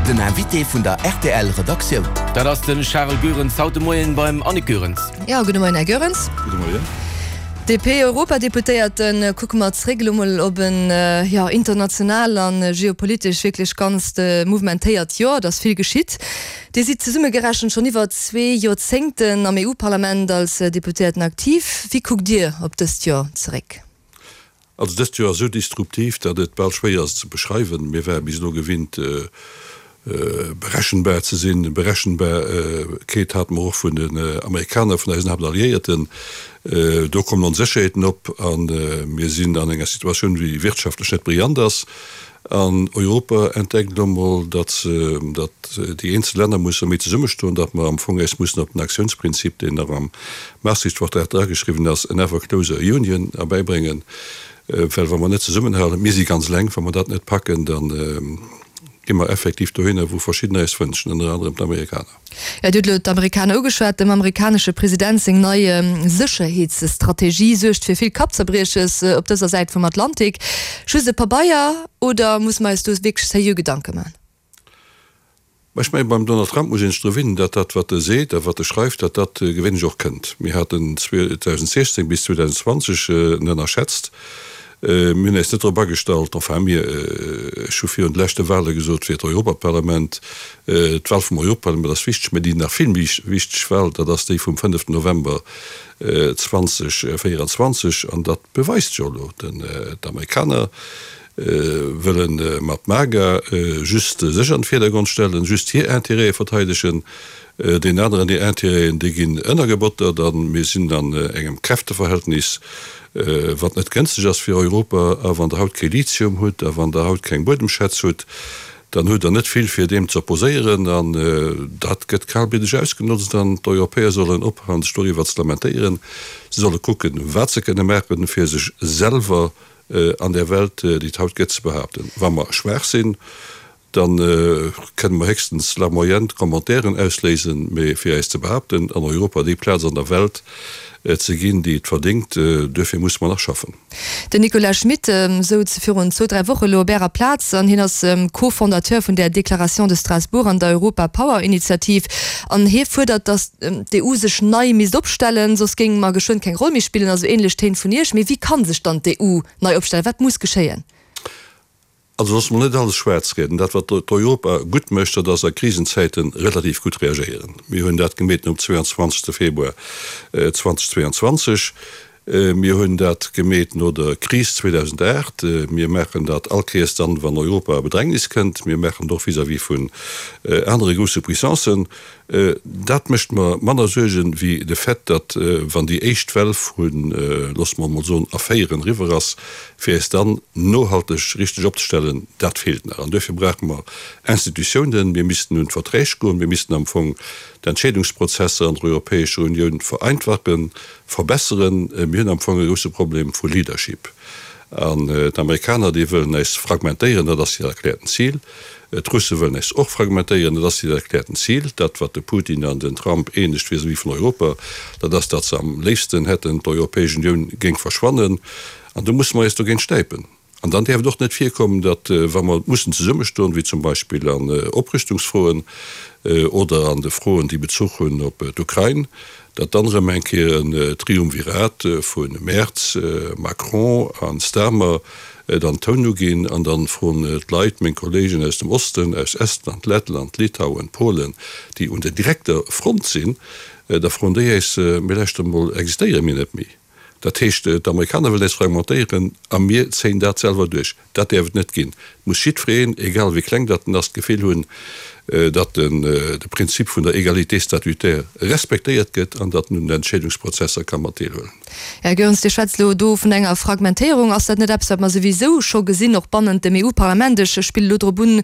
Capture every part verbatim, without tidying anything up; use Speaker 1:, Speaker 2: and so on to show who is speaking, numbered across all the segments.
Speaker 1: Den Invité vun der R T L Redaktioun.
Speaker 2: Dat ass de Charel Goerens haut de Moien beim Annick Goerens.
Speaker 3: Jo, gudde Moien, Här Goerens.
Speaker 4: Gudde Moien.
Speaker 3: D P-Europadeputéierten, kucke mer zréck elo mol op en, jo, international an geopolitesch wierklech ganzt mouvementéiert Joer. Et ass vill geschitt. Dir sidd zesummegerechent schonn iwwer zwee Joerzéngten am E U-Parlament als Deputéierten aktiv. Wéi kuckt Dir op dëst Joer zeréck?
Speaker 4: Also dëst Joer ass esou disruptiv, datt et bal schwéier ass ze beschreiwen. Mir ware bis elo gewinnt berechenbar ze sinn. Berechenbarkeet hate mer och vun den Amerikaner, vun eisen Haaptalliéierten. Do kommen Onsécherheeten op a mir sinn an enger Situatioun, déi wirtschaftlech net brillant ass. An Europa entdeckt elo mol, datt datt déi eenzel Länner musse méi zesummestoen, datt mer am Fong eis mussen op den Aktiounsprinzip, deen nach am Maastricht-Vertrag drageschriwwen ass, an ever closer union, erbäibréngen. Well wa mer net zesummenhalen, mir si ganz eleng, wa mer dat net packen, da gi mer effektiv dohinner, wou verschiddener eis wënschen, ënner anerem d'Amerikaner.
Speaker 3: Jo, Dir hutt elo d'Amerikaner ugeschwat. Dem amerikanesche President seng nei Sécherheetsstrategie suergt fir vill Kappzerbrieches op dëser Säit vum Atlantik. Just e Pabeier oder muss mer eis do wierklech seriö Gedanke man?
Speaker 4: Mä ech mengen, beim Donald Trump muss een sech dru winnen, datt dat, wat e seet a wat e schreift, datt dat gewéinlech och kënnt. Mir haten zweedausendsechzéng bis zweedausendzwanzeg en ënnerschätzt. Mir hunn eis net drop agestallt, enfin mir, ech hu virun de leschte Wahle gesot, fir d'Europaparlament, d'Wahl vum Europaparlament ass wichteg, mä déi nach vill méi wichteg Wahl, dat ass déi vum fënneften November zweedausenvéierenzwanzeg. An dat beweist jo elo, d'Amerikaner wëlle mat MAGA just sech an de Virdergrond stellen, just hir Intérêtë verteidegen. Deenen aneren hir Intérêten, déi ginn ënnergebottert a mir sinn an engem Kräfteverhältnis, wat net gënschteg ass fir Europa. A wann Der haut kee Lithium hutt a wann Der haut keng Buedemschätz hutt, dann hutt Der net vill fir deem ze opposéieren an dat gëtt kalbliddeg ausgenotzt an d'Europäer sollen ophalen sech doriwwer ze lamentéieren. Se solle kucken, wat se kënne maachen, fir sech selwer an där Welt, déi et haut gëtt, ze behaapten. Wa mer schwaach sinn, da kënne mer héchstens larmoyant Commentairen ausléisen, mee fir eis ze behaapten an Europa déi Plaz an der Welt ze ginn, déi et verdéngt, duerfir musse mer nach schaffen.
Speaker 3: Den Nicolas Schmit souz virun zwou, dräi Woche lo op Ärer Plaz an hien ass Co-Fondateur vun der Déclaration de Strasbourg an der Europa Power Initiativ an hie fuerdert, datt d'E U sech nei misst opstellen, soss géinge mer geschwënn keng Roll méi spillen, also ähnlech Téin vun Iech. Mee wéi kann sech dann d'E U nei opstellen? Wat muss geschéien?
Speaker 4: Also loosse mer net alles schwaarz rieden. Dat wat d'Europa gutt mécht, dat ass a Krisenzäite relativ gutt reagéieren. Mir hunn dat gemeet nom zweiandzwanzegste Februar zweedausendzweiandzwanzeg. Mir hunn dat gemeet no der Kris zweedausendacht. Mir maachen dat all Kéiers dann, wann Europa a Bedrängnis kënnt. Mir maachen et och vis-à-vis vun anere grousse Puissancen. Dat mécht mer manner Suergen wéi de Fait, datt, wann déi éischt Well vu, loosse mer emol soen, Affairen eriwwer ass, fir eis dann nohalteg richteg opzestellen, dat feelt nach. An duerfir brauche mer Institutiounen. Mir missten un d'Verträg goen. Mir missten am Fong d'Entscheedungsprozesser an der Europäescher Unioun vereinfachen, verbesseren. Mir hunn am Fong e grousse Problem vu Leadership. An d'Amerikaner, déi wëllen eis fragmentéieren, dat ass hiert erkläerten Zil. D'Russe wëllen eis och fragmentéieren, dat ass hiert erkläerten Zil. Dat, wat de Putin an den Trump eenegt vis-à-vis vun Europa, dat ass, datt se am léifsten hätten, d'Europäesch Unioun géing verschwannen. An do musse mer eis dogéint stäipen. An dann däerf et och net virkommen, datt, wa mer mussen zesummestoen, wéi zum Beispill an Oprüstungsfroen oder an de Froen, déi Bezuch hunn op d'Ukrain, datt dann erëm eng Kéier en Triumvirat vu Merz, Macron a Starmer dann Toun uginn an dann froen d'Leit, meng Kollegen aus dem Osten, aus Estland, Lettland, Litauen, Polen, déi un der direkter Front sinn, da froen déi eis, Mee lauschtert emol, existéiere mir net méi? Dat heescht, d'Amerikaner wëllen eis fragmentéieren a mir zéien dat selwer duerch. Dat däerf et net ginn. Et muss jiddwereen, egal wéi kleng datt en ass, d'Gefill hunn, datt de Prinzip vun der Égalité statutaire respektéiert gëtt an datt en un den Entscheedungsprozesser ka mat deelhuelen.
Speaker 3: Här Goerens, Dir schwätzt elo do vun enger Fragmentéierung. Ass dat net eppes, wat mer souwisou scho gesinn, och bannent dem E U-Parlament? Ech spillen elo drop un,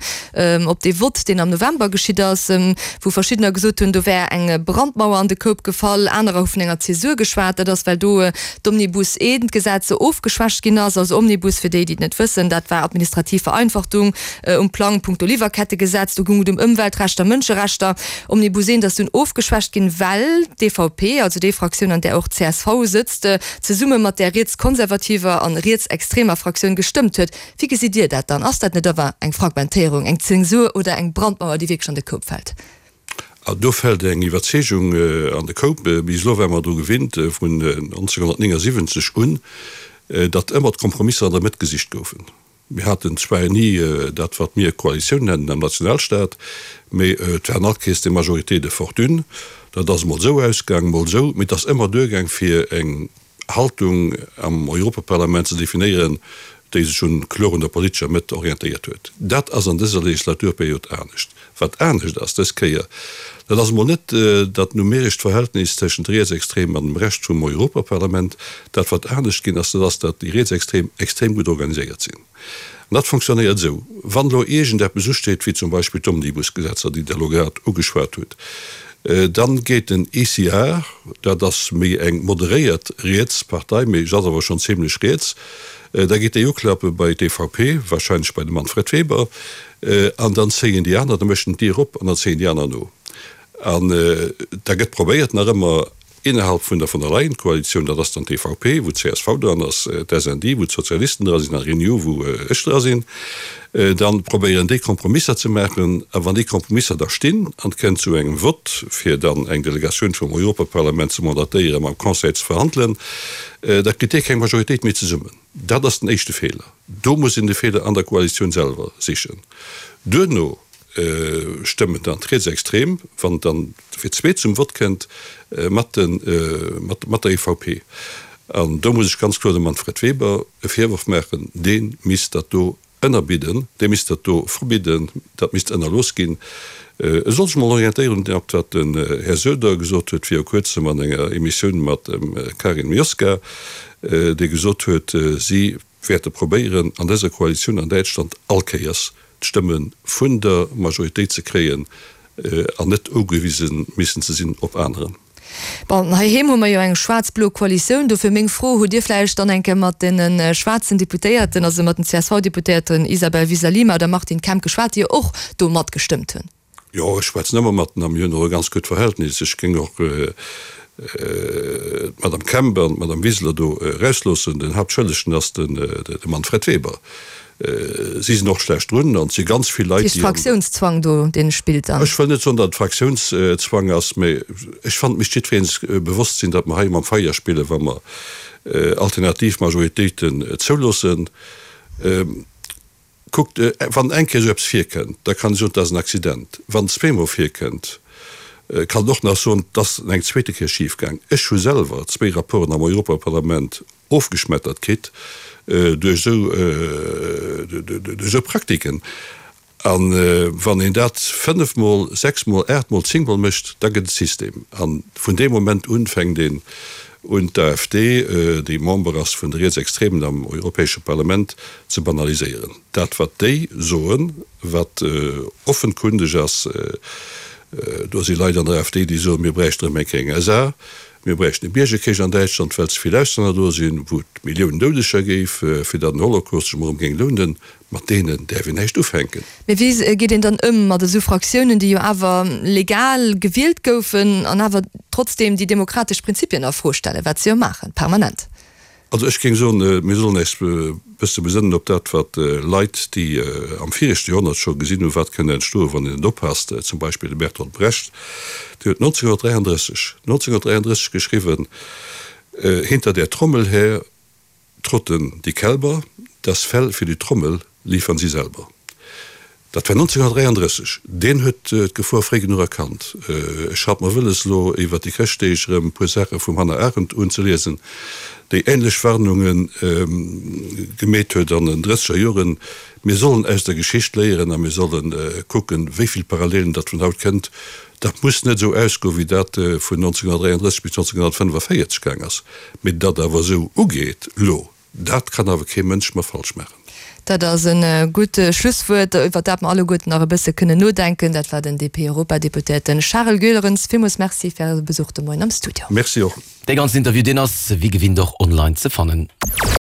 Speaker 3: op dee Vott, deen am November geschitt ass, wou verschiddener gesot hunn, do wär eng Brandmauer an de Koup gefall, anerer hu vun enger Zäsur geschwat. Dat ass, well do d'Omnibus I-Gesetz ofgeschwächt ginn ass. Also Omnibus, fir déi, déi et net wëssen, dat war administrativ Vereinfachtung um Plang, punkto Liwwerkettegesetz. Do goung et ëm Ëmweltrechter, Mënscherechter. Omnibus eent ass dunn ofgeschwächt ginn, well d'EVP, also déi Fraktioun an där och d'CSV sëtzt, zesumme mat där rietskonservativer an rietsextremer Fraktioun gestëmmt huet. Wéi gesitt Dir dat dann? Ass dat net awer eng Fragmentéierung, eng Zensur oder eng Brandmauer, déi wierklech an de Koup fält?
Speaker 4: Do fält eng Iwwerzeegung an de Koup. Bis elo ware mer dru gewinnt, vun nonzénghunnertnéngasiwwenzeg un, datt ëmmer d'Kompromisser an der Mëtt gesicht goufen. Mir haten zwar ni dat, wat mir Koalitioun nennen am Nationalstaat, mee et waren alt Kees des Majorités de fortune. Dat ass emol esou ausgaang, emol esou, mee et ass ëmmer duergaang, fir eng Haltung am Europaparlament ze definéieren, déi sech un kloer un der politescher Mëtt orientéiert huet. Dat ass an dëser Legislaturperiod anescht. Wat anescht ass dës Kéier, dat ass emol net dat numerescht Verhältnis tëschent Rietsextremen an dem Rescht vum Europaparlament. Dat wat anescht ginn ass, dat ass, datt déi Rietsextrem extrem gutt organiséiert sinn. An dat fonctionnéiert esou, wann elo iergendeppes usteet, wéi zum Beispill d'Omnibusgesetzer, déi Der elo grad ugeschwat hutt, Dann geet den ECR, dat ass méi eng moderéiert riets Partei, mee se ass awer schonn zimlech riets, da geet déi uklappe bei d'EVP, wahrscheinlech bei de Manfred Weber, an dann zéien déi aner, da mécht en d'Dier op an dann zéien déi aner no. An da gëtt probéiert nach ëmmer innerhalb vun der von der Leyen-Koalitioun, dat ass dann d'EVP, wou d'CSV dran ass, d'SND, wou d'Sozialisten dra sinn, a Renew, wou ech dra sinn, da probéieren déi Kompromisser ze maachen. A wann déi Kompromisser da stinn an et kënnt zu engem Vott, fir dann eng Delegatioun vum Europaparlament ze mandatéieren, mam Conseil ze verhandelen, da kritt dee keng Majoritéit méi zesummen. Dat ass den éischte Feeler. Do muss een de Feeler an der Koalitioun selwer sichen. Duerno stëmmen dann d'Rietsextrem, wann et dann fir d'zweet zum Vott kënnt, mat mat der EVP. An do muss ech ganz kloer dem Manfred Weber e Virworf maachen, dee misst dat do ënnerbidden, dee misst dat do verbidden, dat misst ënnerlooss ginn. E soll sech mol orientéieren op dat wat den Här Söder gesot huet viru kuerzem an enger Emissioun mat dem Karin Mioska, dee gesot huet, si wäerte probéieren an dëser Koalitioun an Däitschland all Kéiers d'Stëmme vun der Majoritéit ze kréien an net ugewise missen ze sinn op aneren.
Speaker 3: Bon, heiheem hu mer jo eng schwaarz-blo Koalitioun. Dofir meng Fro, Hutt Dir vläicht dann eng Kéier mat deene schwaarzen Deputéierten, also mat den C S V-Deputéierten Isabel Wiseler-Lima oder Martin Kemp geschwat, déi jo och do matgestëmmt hunn?
Speaker 4: Jo, ech schwätzen ëmmer mat en a mir hunn och e ganz gutt Verhältnis. Ech géing och d'Madame Kemp an d'Madame Wiseler do erausloossen. Den Haaptschëllegen ass de Manfred Weber. Si sinn och schlecht drun an et si ganz vill Leit,
Speaker 3: déi. Fraktiounszwang do, dee spillt dann?
Speaker 4: Ech wëll net soen, datt et Fraktiounszwang ass, mä ech fannen, et misst jiddweree sech bewosst sinn, datt mer hei mam Feier spillen, wa mer alternativ Majoritéiten zouloossen. Kuckt, wann eng Kéier esou eppes virkënnt, da kann ee soen, et ass en Accident. Wann et zweemol virkënnt, kann een och nach soen, et ass eng zweete Kéier schifgaang. Ech hu selwer zwéi Rapporten am Europaparlament ofgeschmettert kritt duerch esou Praktiken. A wann een dat fënnefmol, sechsmol, aachtmol, zéngmol mécht, da gëtt et System. A vun deem Moment un fänkt een un d'AfD, déi Member ass vun de Rietsextremen am Europäesche Parlament, ze banaliséieren. Dat wat déi soen, wat offenkundeg ass, do si Leit an der AfD, déi soen, mir bräichten erëm eng Kéier eng S A, mir bräichten e Biergerkrich an Däitschland, well ze vill Auslänner do sinn, wou et Milliounen Doudeger géif, fir datt den Holocaust sech emol erëm géing lounen. Mat deenen däerf een näischt ufänken.
Speaker 3: Mee wéi geet een dann ëm mat esou Fraktiounen, déi jo awer legal gewielt goufen an awer trotzdeem déi demokratesch Prinzipien a Fro stellen, wat se jo maachen, permanent?
Speaker 4: Also ech géing soen, mir sollen äis e bësse besënnen op dat, wat Leit, déi am viregte Joerhonnert scho gesinn hunn, wat kënnt entstoen, wann een net oppasst, zum Beispill de Bertolt Brecht, deen huet nonzénghunnertdräiandrësseg, nonzénghunnertdräiandrësseg geschriwwen, Hinter der Trommel her trotten die Kälber, das Fell für die Trommel liefern sie selber. Dat war nonzénghunnertdräiandrësseg. Deen huet d'Gefor fréi genuch erkannt. Ech hat mer wëlles, elo iwwer déi Chrëschtdeeg erëm e puer Saache vum Hannah Arendt unzeliesen, déi ähnlech Warnunge gemeet huet an den drësseger Joren. Mir sollen aus der Geschicht léieren a mir solle kucken, wéi vill Parallelen datt vun haut kënnt. Dat muss net esou ausgoen, wéi dat vun nonzénghunnertdräiandrësseg bis nonzénghunnertfënnefaféierzeg gaang ass, mee datt awer esou ugeet elo. Dat kann awer kee Mënsch mer falsch maachen.
Speaker 3: Dat ass e gutt Schlusswuert, iwwer dat mer alleguerten nach e bësse kënnen nodenken. Dat war den D P-Europadeputéierten Charel Goerens. Villmools Merci fir Äre Besuch de Moien am Studio.
Speaker 4: Merci och.
Speaker 2: Dee ganzen Interview, deen ass wéi gewinnt och online ze fannen.